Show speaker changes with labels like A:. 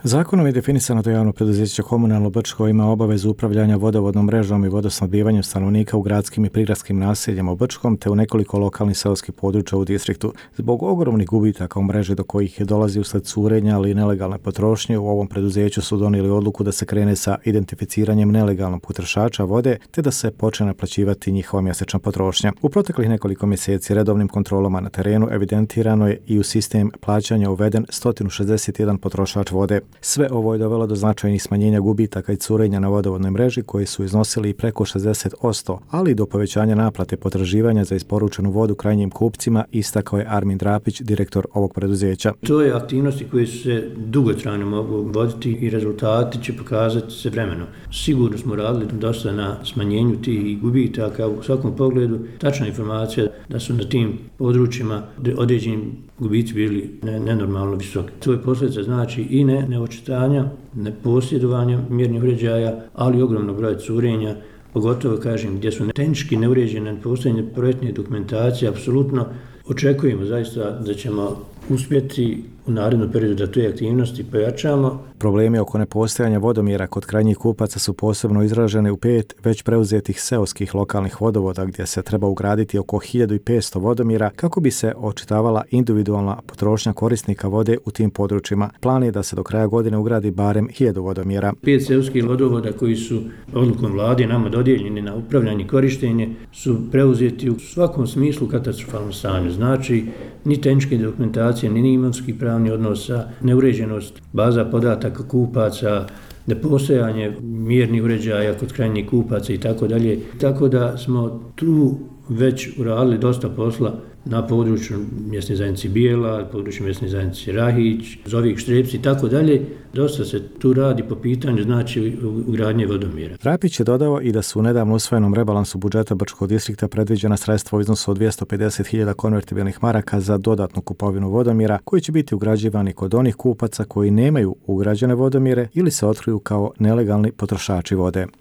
A: Zakonom je definisano da javno preduzeće Komunalno Brčko ima obavezu upravljanja vodovodnom mrežom i vodosnabdijevanjem stanovnika u gradskim i prigradskim naseljima u Brčkom te u nekoliko lokalnih seoskih područja u distriktu. Zbog ogromnih gubitaka u mreži do kojih je dolazi usled curenja ali i nelegalne potrošnje, u ovom preduzeću su donijeli odluku da se krene sa identificiranjem nelegalnog potrošača vode te da se počne naplaćivati njihova mjesečna potrošnja. U proteklih nekoliko mjeseci redovnim kontrolama na terenu evidentirano je i u sistem plaćanja uveden 161 potrošač vode. Sve ovo je dovelo do značajnih smanjenja gubitaka i curenja na vodovodnoj mreži koji su iznosili i preko 60%, ali i do povećanja naplate potraživanja za isporučenu vodu krajnjim kupcima, istakao je Armin Drapić, direktor ovog preduzeća.
B: To je aktivnosti koje su se dugotrajno mogu voditi i rezultati će pokazati se vremenom. Sigurno smo radili dosta na smanjenju tih gubitaka u svakom pogledu. Tačna informacija da su na tim područjima određeni gubici bili nenormalno visoki. To je posljedica znači i neočitanja, neposjedovanja mjernih uređaja, ali ogromnog broja curenja, pogotovo kažem gdje su tehnički neuređene postojanje projektne dokumentacije. Apsolutno očekujemo zaista da ćemo uspjeti u narednom periodu da te aktivnosti pojačamo.
A: Problemi oko nepostojanja vodomjera kod krajnjih kupaca su posebno izražene u 5 već preuzetih seoskih lokalnih vodovoda gdje se treba ugraditi oko 1500 vodomjera kako bi se očitavala individualna potrošnja korisnika vode u tim područjima. Plan je da se do kraja godine ugradi barem 1000 vodomjera.
B: 5 seoskih vodovoda koji su odlukom vlade nama dodijeljeni na upravljanje i korištenje su preuzeti u svakom smislu katastrofalnom stanju. Znači, ni tehničke dokumentacije, ni imovinski pravni odnosa, neuređenost baza podataka kupaca, nepostojanje mjernih uređaja kod krajnjih kupaca i tako dalje. Tako da smo tu već uradili dosta posla na području mjesne zajednice Bijela, području mjesne zajednice Rahić, Zovik, Štrebci i tako dalje. Dosta se tu radi po pitanju znači ugradnje vodomjera.
A: Drapić je dodao i da su u nedavno usvojenom rebalansu budžeta Brčkog distrikta predviđena sredstva u iznosu od 250.000 konvertibilnih maraka za dodatnu kupovinu vodomjera koji će biti ugrađivani kod onih kupaca koji nemaju ugrađene vodomjere ili se otkriju kao nelegalni potrošači vode.